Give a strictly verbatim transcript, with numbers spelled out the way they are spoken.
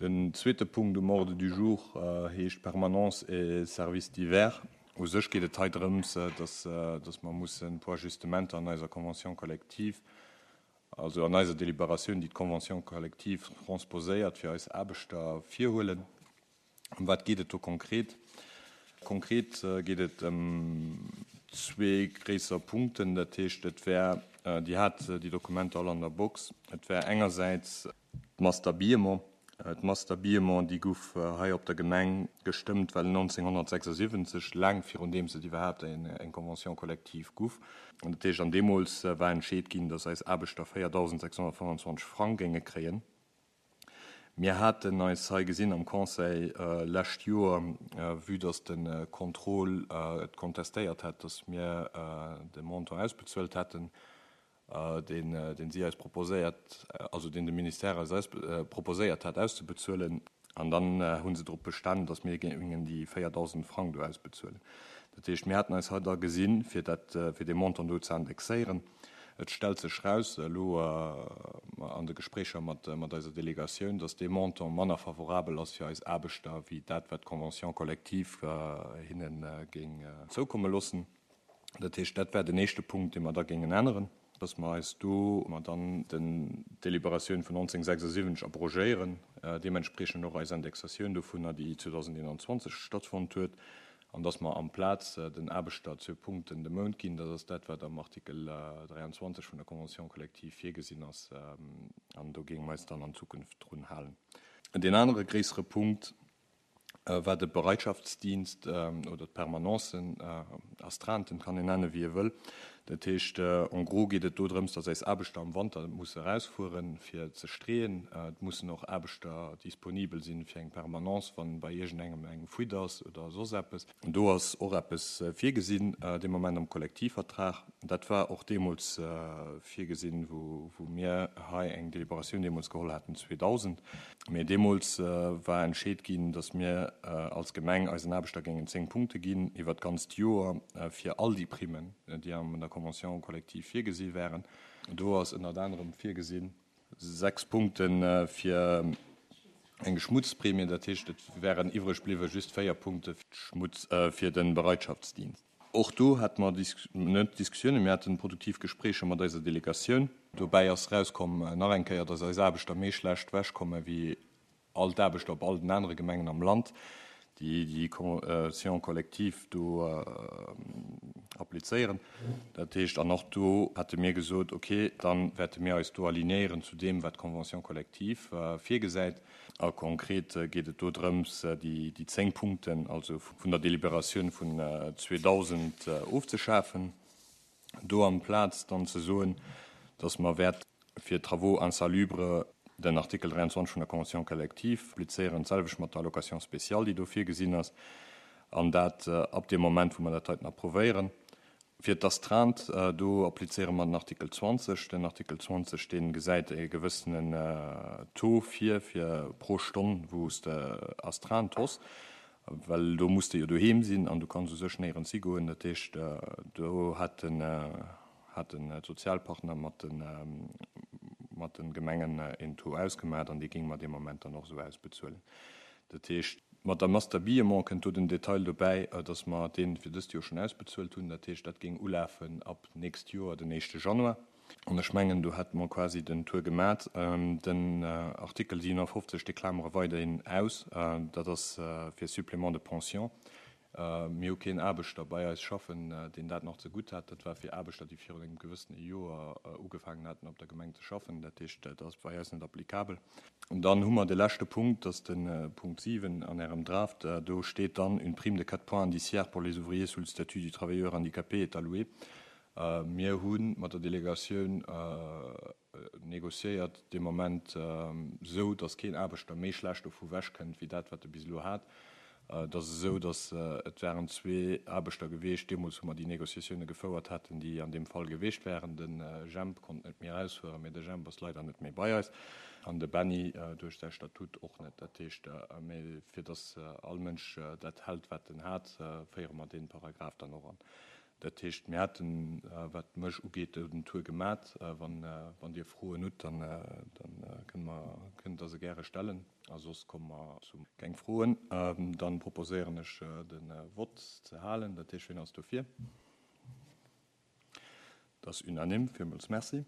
Den zweete Punkt um Ordre du jour heescht Permanence et services divers. U sech geet et hei drëms, dass, dass mer mussen e puer Ajustementer an eiser Convention collective, also an eiser Deliberatioun, déi d'Convention collective transposéiert, fir eis Aarbechter virhuelen. Ëm wat geet et do konkret? Konkret geet et ëm zwee gréisser Punkten. Dat heescht, et wär, Dir hat déi Dokumenter all an der Box, et wär engersäits d'Masse d'habillement. D'Masse d'habillement, déi gouf hei op der Gemeng gestëmmt well nonzénghonnertsechsasiwwenzeg, laang virun deem et iwwerhaapt eng Convention collective gouf. An dat heescht, an deemools war entscheet ginn, dass eis Aarbechter véierdausend sechshonnertfënnfanzwanzeg Frang géinge kréien. Mir haten eis hei gesinn am Conseil lescht Joer, vue dass de Contrôle et kontestéiert hat, dass mir de Montant ausbezuelt hätten, deen deen si eis proposéiert, also deen de Ministère eis eis proposéiert hat auszebezuelen. An dann hu se drop bestanen, dass mir géingen déi véierdausend Frang do ausbezuelen. Dat heescht, mir haten eis hei da gesinn, fir dat, fir dee Montant do ze indexéieren. Et stellt sech raus elo an de Gespréicher mat mat eiser Delegatioun, dass dee Montant manner favorabel ass fir eis Aarbechter wéi dat, wat d'Convention collective hinne géing zoukomme loossen. Dat heescht, dat wär den éischte Punkt, dee mer da géingen änneren, dass mer eis do mer dann den d'Deliberatioun vun nonzénghonnertsechsasiwwenzeg abrogéieren, deementspreechend och eis Indexatioun dovunner, déi zweedausendeenanzwanzeg stattfonnt huet, an dass mer amplaz den Aarbechter zwee Punkten de Mount ginn. Dat ass dat, wat am Artikel dräianzwanzeg vun der Convention collective virgesinn ass, an do géinge mer eis dann an Zukunft drun halen. Deen anere gréissere Punkt war de Bereitschaftsdienst oder d'Permanencen, Astreinten, kann een nennen, wéi ee wëll. Dat heescht, en gros geet et do drëms, dass eis Aarbechter am Wanter musse erausfueren, fir ze streeën. Et mussen och Aarbechter disponibel sinn fir eng Permanence, wann bei iergendengem eng Fuite ass oder soss eppes. Do ass och eppes virgesinn dee Moment am Kollektivvertrag. Dat war och deemools virgesinn, wou mir hei eng Deliberatioun deemools geholl haten zweedausend. Mee deemools war entscheet ginn, dass mir als Gemeng eisen Aarbechter géingen zéng Punkte ginn iwwert d'ganzt Joer fir all déi Primmen, déi an der Convention collective virgesi wären. Do ass ënnert anerem virgesinn sechs Punkte fir eng Schmutzprämie, dat heescht, et wären iwwreg bliwwe just véier Punkte fir de Bereitschaftsdienst. Och do hate mer net Diskussiounen, mir haten produktiv Gespréicher mat eiser Delegatioun. Dobäi ass erauskomm nach eng Kéier, dass eis Aarbechter méi schlecht ewechkomme wéi all d'Aarbechter op all den anere Gemengen am Land, déi déi Convention collective do applizéieren. Dat heescht, an och do hate mir gesot, okay, da wäerte mir eis do alignéieren zu deem, wat d'Convention collective virgesäit. A konkret geet et do drëms, déi zéng Punkten, also vun der Deliberatioun vun zweedausend ofzeschafen, do amplaz dann ze soen, dass mer wäerte fir Travaux insalubres den Artikel dräianzwanzeg vun der Convention collective applizéieren, d'selwecht mat der Allocation spéciale, déi do virgesinn ass, an dat ab deem Moment, wou mer dat heiten approuvéieren. Fir d'Astreinte, do applizéiere mer den Artikel zwanzeg. Den Artikel zwanzeg, dee gesäit e gewëssenen Taux vir, fir pro Stonn, wou s de Astreinte hues, well do muss de jo doheem sinn an du kanns u sech néierens higoen. Dat heescht, do hat den haten d'Sozialpartner mat de mat de Gemengen een Taux ausgemaach an dee géinge mer dee Moment dann och esou ausbezuelen. Dat heescht, mat der Masse d'habillement kënnt do den Detail dobäi, dass mer dee fir dëst Joer schonn ausbezuelt hunn. Dat heescht, dat géing ulafen ab nächst Joer den éischte Januar. An ech mengen, do hätte mer quasi den Tour gemat. Den Artikel siewenafofzeg, dee klamere weiderhin aus. Dat ass fir Supplément de pension. Mir hu keen Aarbechter bei eis schaffen, deen dat nach zegutt hat. Dat war fir Aarbechter, déi virun engem gewëssene Joer ugefaangen haten, op der Gemeng ze schaffen. Dat heescht, dat ass bei eis net applikabel. An dann hu mer de leschte Punkt, dat ass de Punkt siwen an Ärem Draft. Do steet dann, Une prime de quatre points indiciaires pour les ouvriers sous le statut du travailleur handicapé est allouée. Mir hu mat der Delegatioun négociéiert dee Moment esou, datt keen Aarbechter méi schlecht dovu wechkënnt wéi dat, wat e bis elo hat. Et ass esou, datt et waren zwee Aarbechter geweecht deemools, wou mer déi Négociatioune gefouert haten, déi an deem Fall geweecht wären. De Jemp konnt net méi erausfueren, mee de Jemp ass leider net méi bei eis an de Benny duerch säi Statut och net. Dat heescht, mee fir datt all Mënsch dat hält, wat en hat, féiere mer dee Paragraph dann och an. Dat heescht, mir haten, wat mech ugeet, den Tour gemat. Wann, wann Dir Froen hutt, dann, dann kënnt mer, kënnt Der se gäre stellen. A soss komme mer zum. Keng Froen? Dann proposéieren ech, de Vott ze halen. Dat heescht, wien ass dofir? Dat ass unanime. Villmools Merci.